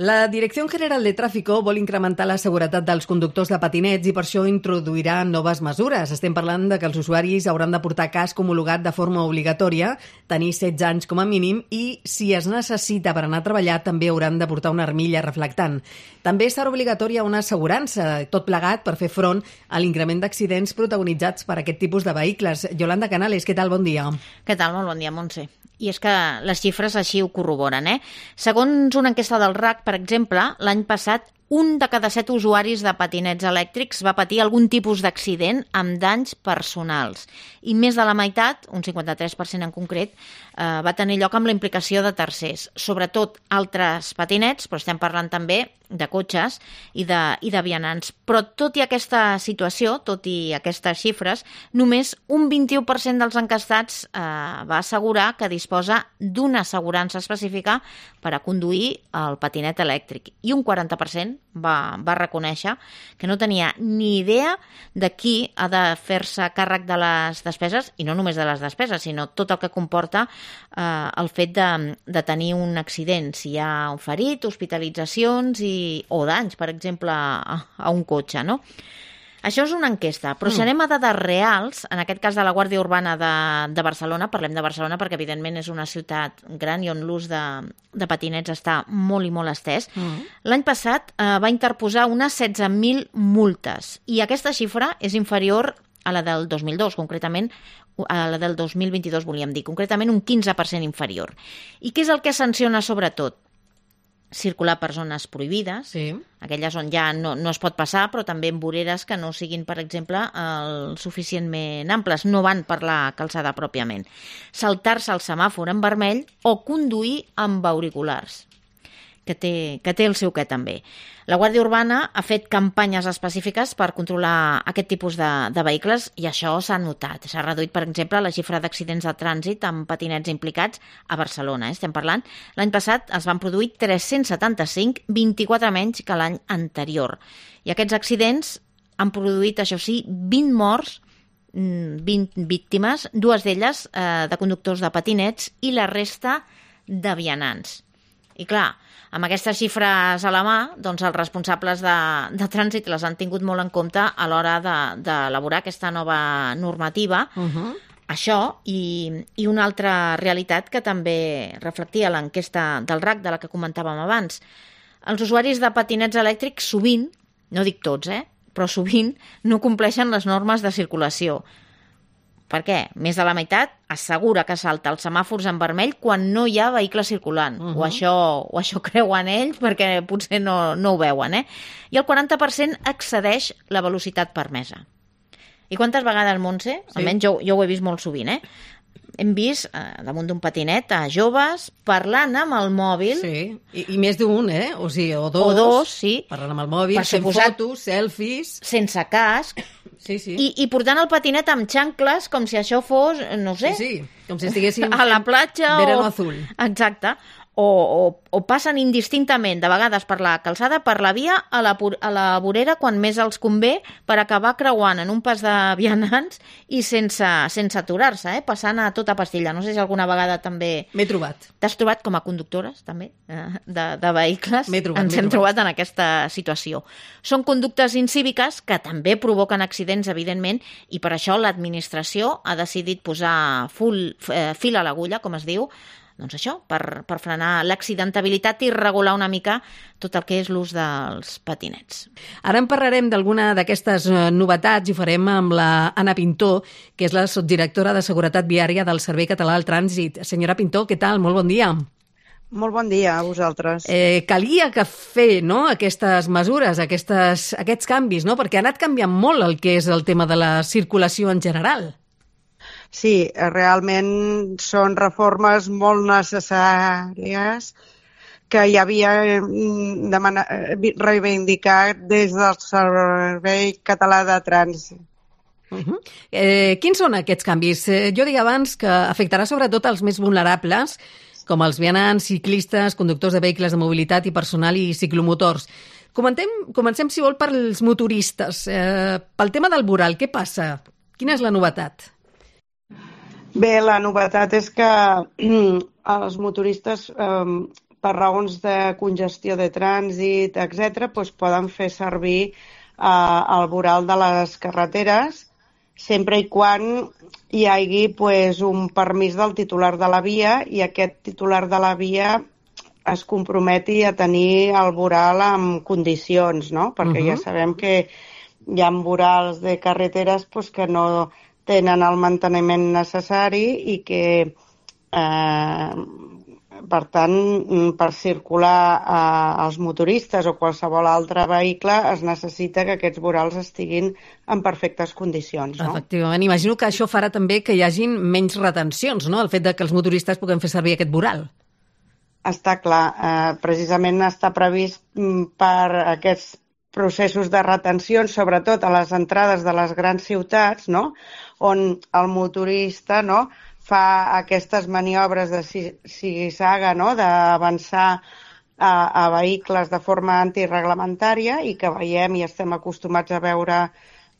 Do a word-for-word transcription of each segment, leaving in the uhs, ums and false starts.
La Direcció General de Tráfico vol incrementar la seguretat dels conductors de patinets i per això introduirà noves mesures. Estem parlant de que els usuaris hauran de portar casc homologat de forma obligatòria, tenir setze anys com a mínim i, si es necessita per anar a treballar, també hauran de portar una armilla reflectant. També serà obligatòria una assegurança, tot plegat per fer front a l'increment d'accidents protagonitzats per aquest tipus de vehicles. Yolanda Canales, què tal? Bon dia. Què tal? Molt bon dia, Montse. I és que les xifres així ho corroboren, eh? Segons una enquesta del R A C, per exemple, l'any passat un de cada set usuaris de patinets elèctrics va patir algun tipus d'accident amb danys personals. I més de la meitat, un cinquanta-tres per cent en concret, eh, va tenir lloc amb la implicació de tercers. Sobretot altres patinets, però estem parlant també de cotxes i de, i de vianants. Però tot i aquesta situació, tot i aquestes xifres, només un vint-i-u per cent dels encastats eh, va assegurar que disposa d'una assegurança específica per a conduir el patinet elèctric. I un quaranta per cent va, va reconèixer que no tenia ni idea de qui ha de fer-se càrrec de les despeses, i no només de les despeses, sinó tot el que comporta eh, el fet de, de tenir un accident, si hi ha un ferit, hospitalitzacions i o danys, per exemple, a, a un cotxe, no? Això és una enquesta, però si anem a dades reals, en aquest cas de la Guàrdia Urbana de, de Barcelona, parlem de Barcelona perquè evidentment és una ciutat gran i on l'ús de, de patinets està molt i molt estès, mm. l'any passat eh, va interposar unes setze mil multes i aquesta xifra és inferior a la del dos mil dos, concretament a la del dos mil vint-i-dos, volíem dir, concretament un quinze per cent inferior. I què és el que sanciona sobretot? Circular per zones prohibides, sí. Aquelles on ja no, no es pot passar, però també en voreres que no siguin, per exemple, el suficientment amples, no van per la calçada pròpiament. Saltar-se el semàfor en vermell o conduir amb auriculars, que té, que té el seu què també. La Guàrdia Urbana ha fet campanyes específiques per controlar aquest tipus de, de vehicles i això s'ha notat. S'ha reduït, per exemple, la xifra d'accidents de trànsit amb patinets implicats a Barcelona. Eh? Estem parlant. L'any passat es van produir tres-cents setanta-cinc, vint-i-quatre menys que l'any anterior. I aquests accidents han produït, això sí, vint morts, vint víctimes, dues d'elles eh, de conductors de patinets i la resta de vianants. I clar, amb aquestes xifres a la mà, doncs els responsables de, de trànsit les han tingut molt en compte a l'hora d'elaborar de, aquesta nova normativa. Uh-huh. Això i, i una altra realitat que també reflectia l'enquesta del R A C, de la que comentàvem abans. Els usuaris de patinets elèctrics sovint, no dic tots, eh, però sovint no compleixen les normes de circulació. Per què? Més de la meitat assegura que salta els semàfors en vermell quan no hi ha vehicle circulant. Uh-huh. O, això, o això creuen ells perquè potser no, no ho veuen. Eh? I el quaranta per cent excedeix la velocitat permesa. I quantes vegades, Montse? Sí. Almenys jo, jo ho he vist molt sovint, eh? Hem vist eh, damunt d'un patinet a joves parlant amb el mòbil. Sí, i, i més d'un, eh? O sigui, o dos. O dos, sí. Parlant amb el mòbil, per fent suposat, fotos, selfies. Sense casc. Sí, sí. I, I portant el patinet amb xancles com si això fos, no sé... Sí, sí, com si estiguéssim... A la platja o... Verano azul. Exacte. O, o, o passen indistintament, de vegades per la calçada, per la via, a la, a la vorera, quan més els convé, per acabar creuant en un pas de vianants i sense, sense aturar-se, eh? Passant a tota pastilla. No sé si alguna vegada també... M'he trobat. T'has trobat com a conductores, també, de, de vehicles? M'he trobat, Ens hem trobat. trobat en aquesta situació. Són conductes incíviques que també provoquen accidents, evidentment, i per això l'administració ha decidit posar full, eh, fil a l'agulla, com es diu, doncs això, per, per frenar l'accidentabilitat i regular una mica tot el que és l'ús dels patinets. Ara en parlarem d'alguna d'aquestes novetats i ho farem amb la Anna Pintó, que és la subdirectora de Seguretat Viària del Servei Català del Trànsit. Senyora Pintó, què tal? Molt bon dia. Molt bon dia a vosaltres. Eh, calia que fer, no?, aquestes mesures, aquestes, aquests canvis, no?, perquè ha anat canviant molt el que és el tema de la circulació en general. Sí, realment són reformes molt necessàries que ja havia demana, reivindicat des del Servei Català de Trànsit. Uh-huh. Eh, quins són aquests canvis? Eh, jo dic abans que afectarà sobretot els més vulnerables, com els vianants, ciclistes, conductors de vehicles de mobilitat i personal i ciclomotors. Comentem, comencem, si vol, pels motoristes. Eh, pel tema del voral, què passa? Quina és la novetat? Bé, la novetat és que els motoristes eh, per raons de congestió de trànsit, etcètera, doncs poden fer servir eh, el voral de les carreteres, sempre i quan hi hagi pues, un permís del titular de la via i aquest titular de la via es comprometi a tenir el voral en condicions, no? Perquè uh-huh. ja sabem que hi ha vorals de carreteres pues, que no tenen el manteniment necessari i que, eh, per tant, per circular eh, els motoristes o qualsevol altre vehicle es necessita que aquests vorals estiguin en perfectes condicions. No? Efectivament. Imagino que això farà també que hi hagin menys retencions, no?, el fet de que els motoristes puguem fer servir aquest voral. Està clar. Eh, precisament està previst per aquests processos de retenció, sobretot a les entrades de les grans ciutats, no?, on el motorista, no?, fa aquestes maniobres de zigue-zague, no?, d'avançar a, a vehicles de forma antireglamentària i que veiem i estem acostumats a veure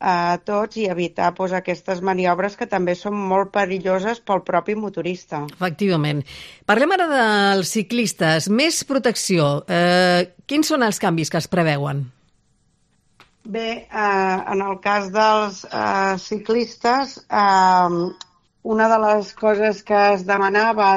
a tots i evitar doncs, aquestes maniobres que també són molt perilloses pel propi motorista. Efectivament. Parlem ara dels ciclistes. Més protecció. Eh, quins són els canvis que es preveuen? Bé, eh, en el cas dels eh, ciclistes, eh, una de les coses que es demanava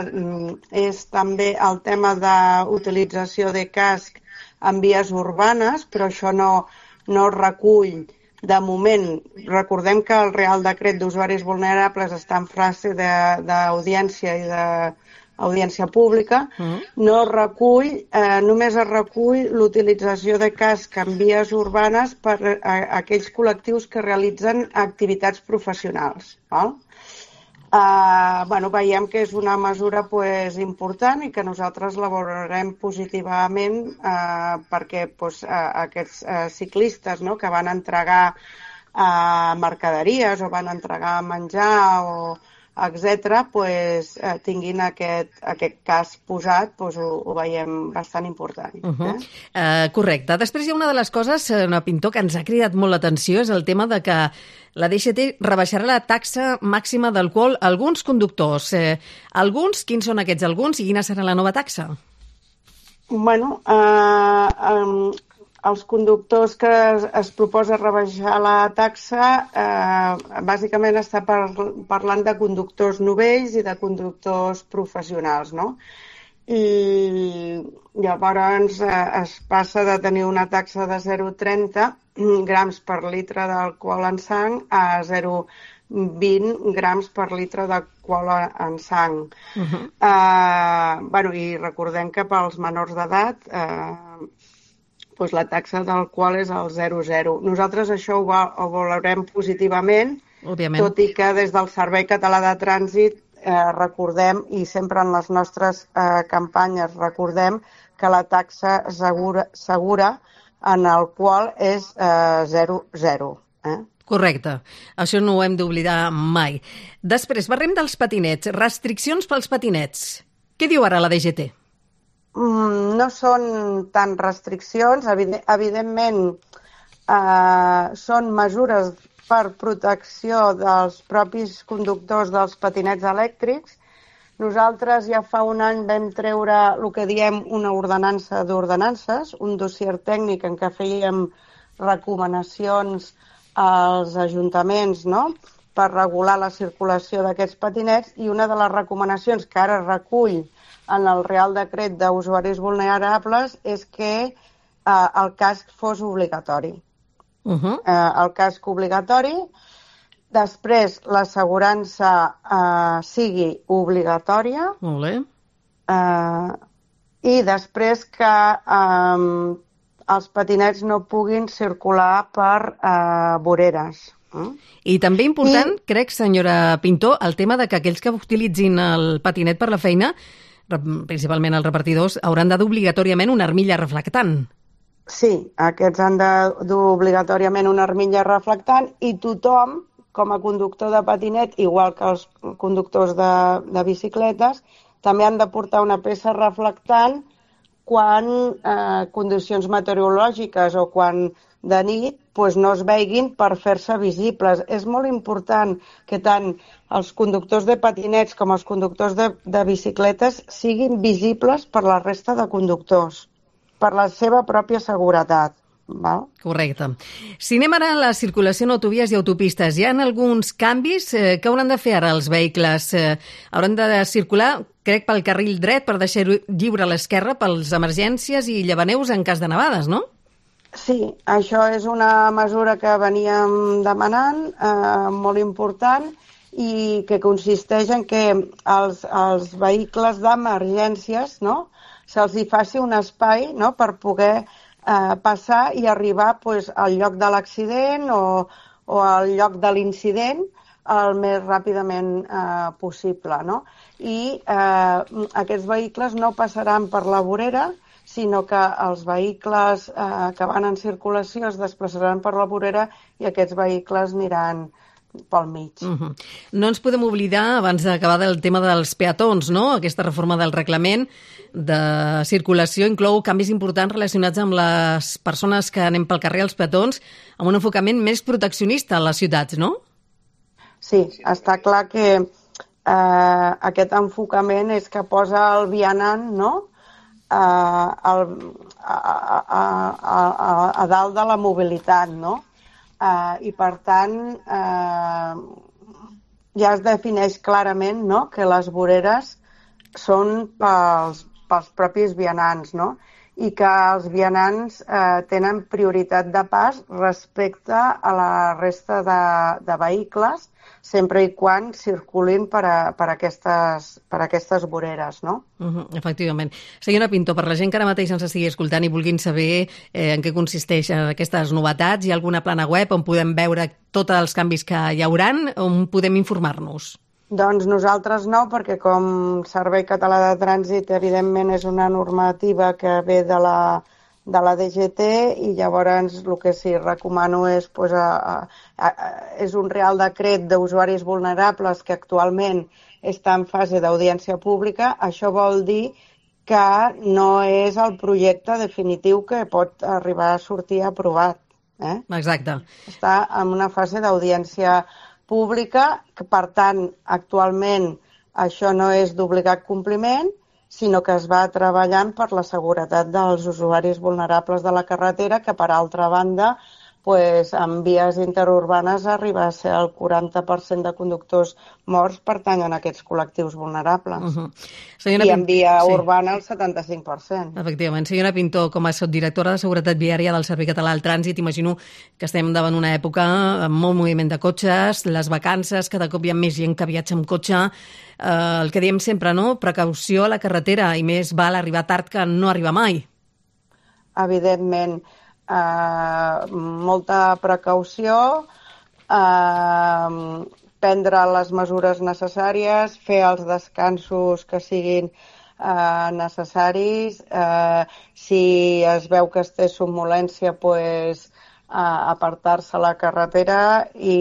és també el tema d'utilització de casc en vies urbanes, però això no, no recull de moment. Recordem que el Real Decret d'Usuaris Vulnerables està en fase d'audiència i d'audiència pública. Mm. No recull, eh, només es recull l'utilització de casc en vies urbanes per a, a aquells col·lectius que realitzen activitats professionals. Val? Uh, bueno, veiem que és una mesura pues, important i que nosaltres la valorarem positivament uh, perquè pues, uh, aquests uh, ciclistes, no?, que van entregar uh, mercaderies o van entregar menjar o etcètera, pues, uh, tinguin aquest, aquest cas posat, pues, ho, ho veiem bastant important. Uh -huh. eh? Uh, correcte. Després hi ha una de les coses, una Pintor, que ens ha cridat molt l'atenció, és el tema de que la D G T rebaixarà la taxa màxima d'alcohol a alguns conductors. Eh, alguns, quins són aquests alguns i quina serà la nova taxa? Bueno, eh, eh, els conductors que es, es proposa rebaixar la taxa eh, bàsicament està par, parlant de conductors novells i de conductors professionals, no? I llavors eh, es passa de tenir una taxa de zero coma trenta grams per litre d'alcohol en sang a zero coma vint grams per litre d'alcohol en sang. Uh-huh. eh, bueno, I recordem que pels menors d'edat eh, doncs la taxa d'alcohol és el zero coma zero. Nosaltres això ho, va, ho valorem positivament, òbviament, tot i que des del Servei Català de Trànsit eh, recordem, i sempre en les nostres eh, campanyes recordem, que la taxa segura, segura en el qual és eh, zero coma zero. Eh? Correcte. Això no ho hem d'oblidar mai. Després, parlem dels patinets. Restriccions pels patinets. Què diu ara la D G T? Mm, no són tant restriccions. Evident, evidentment, eh, són mesures per protecció dels propis conductors dels patinets elèctrics. Nosaltres ja fa un any vam treure el que diem una ordenança d'ordenances, un dossier tècnic en què fèiem recomanacions als ajuntaments, no?, per regular la circulació d'aquests patinets, i una de les recomanacions que ara recull en el Real Decret d'Usuaris Vulnerables és que eh, el casc fos obligatori. Uh-huh. Eh, el casc obligatori. Després, l'assegurança eh, sigui obligatòria. Molt bé. Eh, I després que eh, els patinets no puguin circular per eh, voreres. Eh? I també important, I... crec, senyora Pintor, el tema de que aquells que utilitzin el patinet per la feina, principalment els repartidors, hauran de dur obligatòriament una armilla reflectant. Sí, aquests han de dur obligatòriament una armilla reflectant i tothom, com a conductor de patinet, igual que els conductors de, de bicicletes, també han de portar una peça reflectant quan eh, condicions meteorològiques o quan de nit pues no es veiguin per fer-se visibles. És molt important que tant els conductors de patinets com els conductors de, de bicicletes siguin visibles per la resta de conductors, per la seva pròpia seguretat. Val? Correcte. Si anem ara a la circulació en autovies i autopistes, hi ha alguns canvis eh, que hauran de fer ara els vehicles. Eh, hauran de circular, crec, pel carril dret per deixar lliure a l'esquerra pels emergències i llevaneus en cas de nevades, no? Sí, això és una mesura que veníem demanant, eh, molt important, i que consisteix en que els, els vehicles d'emergències, no?, se'ls hi faci un espai, no?, per poder eh, passar i arribar pues, al lloc de l'accident o, o al lloc de l'incident el més ràpidament eh, possible, no? I eh, aquests vehicles no passaran per la vorera, sinó que els vehicles eh, que van en circulació es desplaçaran per la vorera i aquests vehicles aniran pel mig. Uh-huh. No ens podem oblidar, abans d'acabar, del tema dels peatons, no? Aquesta reforma del reglament de circulació inclou canvis importants relacionats amb les persones que anem pel carrer, els peatons, amb un enfocament més proteccionista a les ciutats, no? Sí, està clar que eh, aquest enfocament és que posa el vianant, no?, eh, el, a, a, a, a, a dalt de la mobilitat, no? Uh, I, per tant, uh, ja es defineix clarament, no?, que les voreres són pels, pels propis vianants, no?, i que els vianants uh, tenen prioritat de pas respecte a la resta de, de vehicles, sempre i quan circulin per, a, per, aquestes, per aquestes voreres, no? Uh-huh, efectivament. Senyora Pinto, per la gent que ara mateix ens estigui escoltant i vulguin saber eh, en què consisteixen aquestes novetats, hi ha alguna plana web on podem veure tots els canvis que hi hauran, on podem informar-nos? Doncs nosaltres no, perquè com Servei Català de Trànsit, evidentment, és una normativa que ve de la, de la D G T i llavors el que sí recomano és, pues, a, a, a, és un Real Decret d'usuaris vulnerables que actualment està en fase d'audiència pública. Això vol dir que no és el projecte definitiu que pot arribar a sortir aprovat. Eh? Exacte. Està en una fase d'audiència pública, que per tant actualment això no és d'obligat compliment, sinó que es va treballant per la seguretat dels usuaris vulnerables de la carretera, que per altra banda, pues, en vies interurbanes arriba a ser el quaranta per cent de conductors morts pertanyen a aquests col·lectius vulnerables. Uh-huh. Senyora I en via Pinto, urbana el setanta-cinc per cent. Efectivament. Senyora Pinto, com a subdirectora de Seguretat Viària del Servei Català del Trànsit, imagino que estem davant una època amb molt moviment de cotxes, les vacances, cada cop hi ha més gent que viatja amb cotxe, eh, el que diem sempre, no? Precaució a la carretera, i més val arribar tard que no arribar mai. Evidentment, Uh, molta precaució, uh, prendre les mesures necessàries, fer els descansos que siguin uh, necessaris, uh, si es veu que es té somnolència, pues, uh, apartar-se a la carretera i,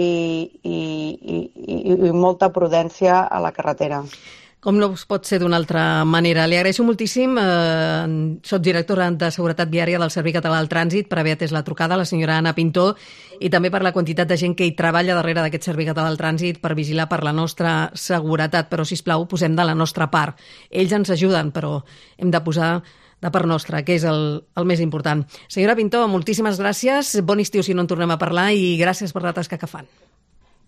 i, i, i, i molta prudència a la carretera. Com no pot ser d'una altra manera. Li agraeixo moltíssim. Eh, soc directora de Seguretat Viària del Servei Català del Trànsit, per haver atès la trucada, la senyora Anna Pinto, i també per la quantitat de gent que hi treballa darrere d'aquest Servei Català del Trànsit per vigilar per la nostra seguretat. Però, sisplau, posem de la nostra part. Ells ens ajuden, però hem de posar de part nostra, que és el, el més important. Senyora Pinto, moltíssimes gràcies. Bon estiu si no en tornem a parlar i gràcies per la tasca que fan.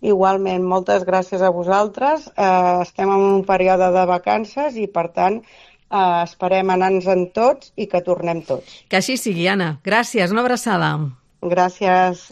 Igualment, moltes gràcies a vosaltres. Eh, estem en un període de vacances i, per tant, eh, esperem anar-nos-en tots i que tornem tots. Que així sigui, Anna. Gràcies, una abraçada. Gràcies.